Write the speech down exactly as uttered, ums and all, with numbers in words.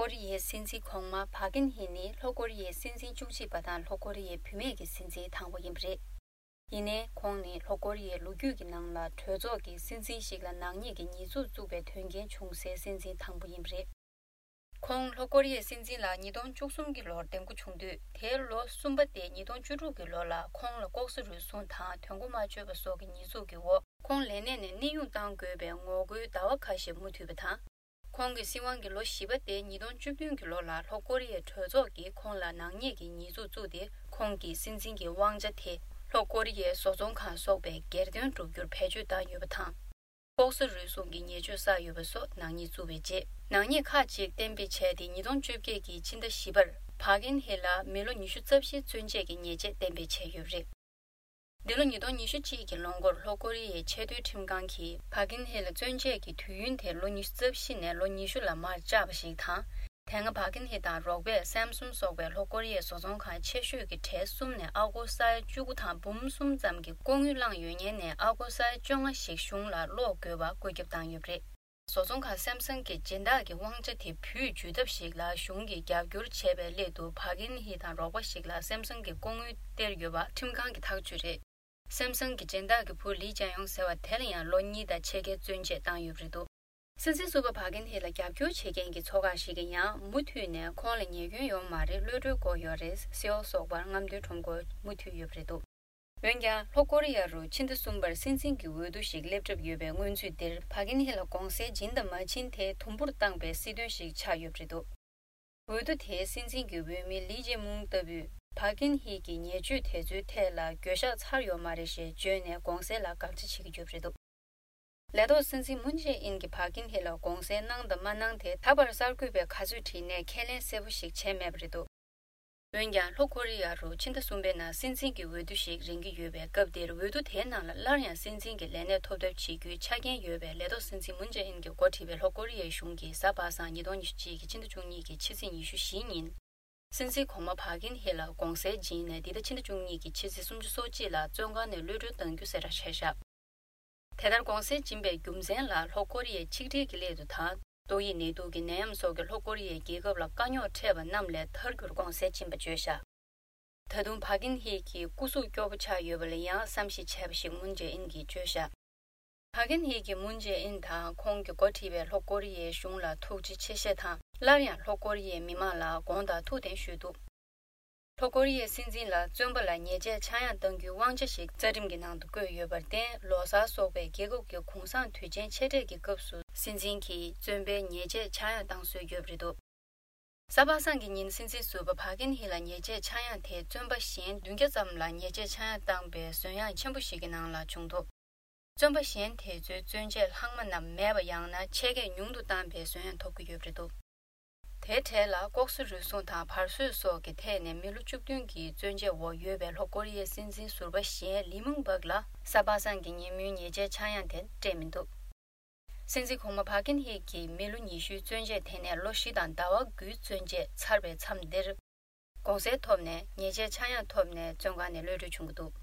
ཀོ་རི་ཡའི་སྲིད་འཛིན་གོང་མ་ཕ་ཀིན་ཧི་ནི་ལྷོ་ཀོ་རི་ཡའི་སྲིད་འཛིན་བཅུ་གཅིག་པ་དང་ལྷོ་ཀོ་རི་ཡའི་བུད་མེད་ཀྱི་སྲིད་འཛིན་དང་པོ་ཡིན་པ་རེད། ཡིན་ནའི་ཁོང་ནི་ལྷོ་ཀོ་རི་ཡའི་ལོ་རྒྱུས་ཀྱི་ནང་ལ་གྲོས་ཚོགས་ཀྱི་སྲིད་འཛིན་ཞིག་ལ་ནག་ཉེས་ཀྱི་ཉེས་འཛུགས་བཙུགས་པའི་དོན་རྐྱེན་བྱུང་སའི་སྲིད་འཛིན་དང་པོ་ཡིན་པ་རེད། ཁོང་ལྷོ་ཀོ་རི་ཡའི་སྲིད་འཛིན་ལ་ཉིས་སྟོང་བཅུ་གསུམ་གྱི་ལོར་འདེམས་བསྐོ་བྱུང་དུས་དེའི་ལོ་གསུམ་པ་སྟེ་ཉིས་སྟོང་བཅུ་དྲུག་གི་ལོ་ལ་ཁོང་ལ་ལྐོག་ཟ་རུལ་སུངས་དང་དོན་གོ་མ་ཆོད་པ་སོགས་ཀྱི་ཉེས་འཛུགས་ཀྱི་འོག་ཁོང་ལས་གནས་ནས་གནས་དབྱུང་གཏང་དགོས་པའི་ངོ་རྒོལ་ཟླ་བ་ཁ་ཤས་མུ་མཐུད་པ་དང་། ཁོང་གི་སྲིད་དབང་གི་ལོ་བཞི་པ་སྟེ་ཉིས་སྟོང་བཅུ་བདུན་གྱི་ལོ་ལ་ལྷོ་ཀོ་རི་ཡའི་གྲོས་ཚོགས་ཀྱིས་ཁོང་ལ་ནག་ཉེས་ཀྱི་ཉེས་འཛུགས་བཙུགས་ཏེ་ཁོང་གི་སྲིད་འཛིན་གྱི་དབང་ཆ་དེ་ལྷོ་ཀོ་རི་ཡའི་བཟོ་ཚོང་ཁང་སོགས་པའི་སྒེར་དོན་བསྒྲུབ་རྒྱུར་བེད་སྤྱོད་བཏང་ཡོད་པ་དང་། ལྐོག་ཟ་རུལ་སུངས་ཀྱི་ཉེས་སྤྱོད་བསགས་ཡོད་པ་སོགས་ནག་ཉེས་བཙུགས་པའི་རྗེས། ནག་ཉེས་ཁག་ཅིག་གཏན་འབེབས་བྱས་ཏེ་ཉིས་སྟོང་བཅོ་བརྒྱད་ཀྱི་ཕྱི་ཟླ་བཞི་པར་ཕ་ཀིན་ཧི་ལ་མི་ལོ་ཉི་ཤུ་རྩ་བཞིའི་བཙོན་བཅད་ཀྱི་ཉེས་ཆད་གཏན་འབེབས་བྱས་ཡོད་པ་རེད། འདི་ལོ་ཉིས་སྟོང་ཉི་ཤུ་གཅིག་གི་ལོ་འགོར་ལྷོ་ཀོ་རི་ཡའི་ཆེས་མཐོའི་ཁྲིམས་ཁང་གིས་ཕ་ཀིན་ཧི་ལ་བཙོན་བཅད་ཀྱི་དུས་ཡུན་དེ་ལོ་ཉི་ཤུ་རྩ་བཞི་ནས་ལོ་ཉི་ཤུ་ལ་མར་བཅག་པ་ཞིག་དང་། དེ་སྔ་ཕ་ཀིན་ཧི་དང་རོགས་པས་སེམ་སུང་སོགས་པའི་ལྷོ་ཀོ་རི་ཡའི་བཟོ་ཚོང་ཁང་ཆེ་ཤོས་ཀྱི་གྲས་གསུམ་ནས་ཨ་སྒོར་ས་ཡ་བཅུ་དགུ་དང་འབུམ་གསུམ་ཙམ་གྱི་ལྐོག་དངུལ་བླངས་ཡོད་ཉེན་ནས་ཨ་སྒོར་ས་ཡ་བཅོ་ལྔ་ཞིག་གཞུང་ལ་སློག་དགོས་པ་བཀོད་ཁྱབ་བཏང་ཡོད་པ་རེད། བཟོ་ཚོང་ཁང་སེམ་སང་གི་སྦྱིན་བདག་གི་དབང་ཆ་དེ་བུད་འཇུག་ཐབས་ཤིག་ལ་གཞུང་གིས་རྒྱབ་སྐྱོར་བྱས་པའི་སླད་དུ་ཕ་ཀིན་ཧི་དང་རོགས་པ་ཞིག་ལ་སེམ་སང་གི་ལྐོག་དངུལ་སྟེར་ཡོད་པ་ཁྲིམས་ཁང་གི་ཐག་གཅོད་རེད། སེམ་སང་གི་སྦྱིན་བདག་གི་བུ་ལི་ཅན་ཡོང་ཟེར་བ་དེ་ལ་ཡང་ལོ་གཉིས་དང་ཕྱེད་ཀའི་བཙོན་བཅད་བཏང་ཡོད་པ་རེད་འདུག་སྲིད་འཛིན་ཟུར་པ་ཕ་ཀིན་ཧི་ལ་རྒྱབ་སྐྱོར་བྱེད་མཁན་གྱི་ཚོགས་ཁག་ཞིག་གིས་ཡང་མུ་མཐུད་ནས་ཁོང་ལ་ཉེས་སྐྱོན་ཡོད་མ་རེད། གློད་གྲོལ་དགོས་ཡོད་རེད། སེའོ་སོགས་པར་རྔམ་སྟོན་ཁྲོམ་སྐོར་མུ་མཐུད་ཡོད་པ་རེད་འདུག་འོན་ཀྱང་ལྷོ་ཀོ་རི་ཡ་རུ་ཕྱི་ཟླ་གསུམ་པར་སྲིད་འཛིན་གྱི་འོས་བསྡུ་ཞིག་སླེབས་གྲབས་ཡོད་པའི་སྔོན་ཚུད་འདིར་ཕ་ཀིན་ཧི་ལ་དགོངས་སེལ་སྦྱིན་དང་མ་བྱིན་དེ་དུམ་བུར་བཏང་པའི་སྲིད་དོན་ཞིག་ཆགས་ཡོད་པ་རེད་འདུག་འོས་བསྡུ་དེའི་སྲིད་འཛིན་གྱི་འོས་མི་ལི་ཅེ་མུང་ལྟ་བུས་ཕ་ཀིན་ཧི་གི་ཉེས་སྤྱོད་དེ་ཚོའི་ཐད་ལ་འགྱོད་བཤགས་ཚར་ཡོད་མ་རེད་ཞེས་བརྗོད་ནས་དགོངས་སེལ་ལ་དགག་བྱ་བྱེད་ཀྱི་ཡོད་པ་རེད་འདུག་ལས་ཐོག་སྲིད་འཛིན་མུན་ཇེ་ཨིན་གྱིས་ཕ་ཀིན་ཧི་ལ་དགོངས་སེལ་གནང་དང་མ་གནང་དེ་ད་བར་གསར་འགོད་པས་ག་ཚོད་དྲིས་ནས་ཁས་ལེན་གསལ་པོ་ཞིག་བྱས་མེད་པ་རེད་འདུག་འོན་ཀྱང་ལྷོ་ཀོ་རི་ཡ་རུ་ཕྱི་ཟླ་གསུམ་པའི་ནང་སྲིད་འཛིན་གྱི་འོས་བསྡུ་ཞིག་རན་གྱི་ཡོད་པའི་སྐབས་འདིར་འོས་བསྡུ་དེའི་ནང་ལ་སླར་ཡང་སྲིད་འཛིན་གྱི་ལས་གནས་ཐོབ་ཐབས་བྱེད་རྒྱུའི་ཆ་རྐྱེན་ཡོད་པའི་ལས་ཐོག་སྲིད་འཛིན་མུན་ཇེ་ཨིན་གྱིས་འགོ་ཁྲིད་པའི་ལྷོ་ཀོ་རི་ཡའི་གཞུང་གིས་གཟའ་པ་སངས་ཉིས་སྟོང་ཉི་ཤུ་གཅིག་གི་ཕྱི་ཟླ་བཅུ་གཉིས་ཀྱི་ཕྱི་ཚེས་ཉི་ཤུ་བཞི་ཉིན། སྲིད་འཛིན་གོང་མ་ཕ་ཀིན་ཧེ་ལ་དགོངས་སེལ་སྦྱིན་ནས་འདི་ཟླ་ཕྱི་ཟླ་བཅུ་གཉིས་ཀྱི་ཕྱི་ཚེས་སུམ་ཅུ་སོ་གཅིག་ལ་བཙོན་ཁང་ནས་གློད་གྲོལ་གཏང་རྒྱུ་གསལ་བསྒྲགས་བྱས་བཞག་དེ་ལྟར་དགོངས་སེལ་སྦྱིན་པའི་རྒྱུ་མཚན་ལ་ལྷོ་ཀོ་རི་ཡའི་ཆིག་སྒྲིལ་གྱི་སླད་དུ་དང་ཏོག་དབྱིབས་ནད་དུག་གི་ནད་ཡམས་སོགས་ཀྱིས་ལྷོ་ཀོ་རི་ཡའི་རྒྱལ་ཁབ་ལ་དཀའ་རྙོག་འཕྲད་པ་རྣམས་ལས་ཐར་རྒྱུར་དགོངས་སེལ་སྦྱིན་པ་བརྗོད་བཞག་ད་དུང་ཕ་ཀིན་ཧེ་གྱི་སྐུ་གཟུགས་སྐྱོ་པོ་ཆགས་ཡོད་པ་ལ་ཡང་བསམ་ཤེས་བྱས་པ་ཞིག་མུན་ཇེ་ཨིན་གྱིས་བརྗོད་བཞག་ཕ་ཀིན་ཧེ་གྱིས་མུན་ཇེ་ཨིན་དང་ཁོང་གིས་འགོ་ཁྲིད་པའི་ལྷོ་ཀོ་རི་ཡའི་གཞུང་ལ་ཐུགས་རྗེ་ཆེ་ཞེས་དང་སླར་ཡང་ལྷོ་ཀོ་རི་ཡའི་མི་མང་ལ་དགོངས་དག་ཐུགས་བདེན་ཞུས་འདུག་ལྷོ་ཀོ་རི་ཡའི་སྲིད་འཛིན་ལ་བཙོན་པ་ལ་ཉེས་ཆད་ཆག་ཡང་གཏང་རྒྱུའི་དབང་ཆ་ཞིག་རྩ་ཁྲིམས་ཀྱི་ནང་དུ་བཀོད་ཡོད་པར་བརྟེན་ལོ་གསར་སོགས་པའི་རྒྱལ་ཁབ་ཀྱི་གུང་སེང་དུས་ཆེན་ཆེ་གྲས་ཀྱི་སྐབས་སུ་སྲིད་འཛིན་གྱིས་བཙོན་པའི་ཉེས་ཆད་ཆག་ཡང་གཏང་སྲོལ་ཡོད་པ་རེད་འདུག་གཟའ་པ་སངས་ཀྱི་ཉིན་སྲིད་འཛིན་ཟུར་པ་ཕ་ཀིན་ཧི་ལ་ཉེས་ཆད་ཆག་ཡང་དེ་བཙོན་པ་གཞན་བདུན་བརྒྱ་ཙམ་ལ་ཉེས་ཆད་ཆག་ཡང་བཏང་པའི་ཟོན་ཡང་ཆེན་པོ་ཞིག་གི་ནང་ལ་བྱུང་འདུག་བཙོན་པ་གཞན་དེ་ཚོའི་བཙོན་ཆད་ལྷག་མ་རྣམས་མེད་པ་ཡང་ན་ཆད་ཁས་ཉུང་དུ་བཏང་པའི་ཟོན་ཡང་ཐོབ་ཀྱི་ཡོད་པ་རེད་འདུག་དེའི་གྲས་ལ་ལྐོག་ཟ་རུལ་སུངས་དང་བར་གསོད་སོགས་ཀྱི་ཐད་ནས་མི་ལོ་བཅུ་བདུན་གྱི་བཙོན་ཆད་འོག་ཡོད་པའི་ལྷོ་ཀོ་རི་ཡའི་སྲིད་འཛིན་ཟུར་པ་གཞན་ལི་མུང་པག་ལ་གཟའ་པ་སངས་ཀྱི་ཉིན་མོའི་ཉེས་ཆད་ཆག་ཡང་དེ་སྤྲད་མི་འདུག་སྲིད་འཛིན་གོང་མ་ཕ་ཀིན་ཧེ་གྱིས་མི་ལོ་ཉི་ཤུའི་བཙོན་ཆད་དེ་ནས་ལོ་བཞི་དང་ཟླ་བ་དགུའི་བཙོན་ཆད་ཚར་བའི་མཚམས་འདིར། དགོངས་སེལ་ཐོབ་ནས་ཉེས་ཆད་ཆག་ཡང་ཐོབ་ནས་བཙོན་ཁང་ནས་གློད་གྲོལ་བྱུང་གི་འདུག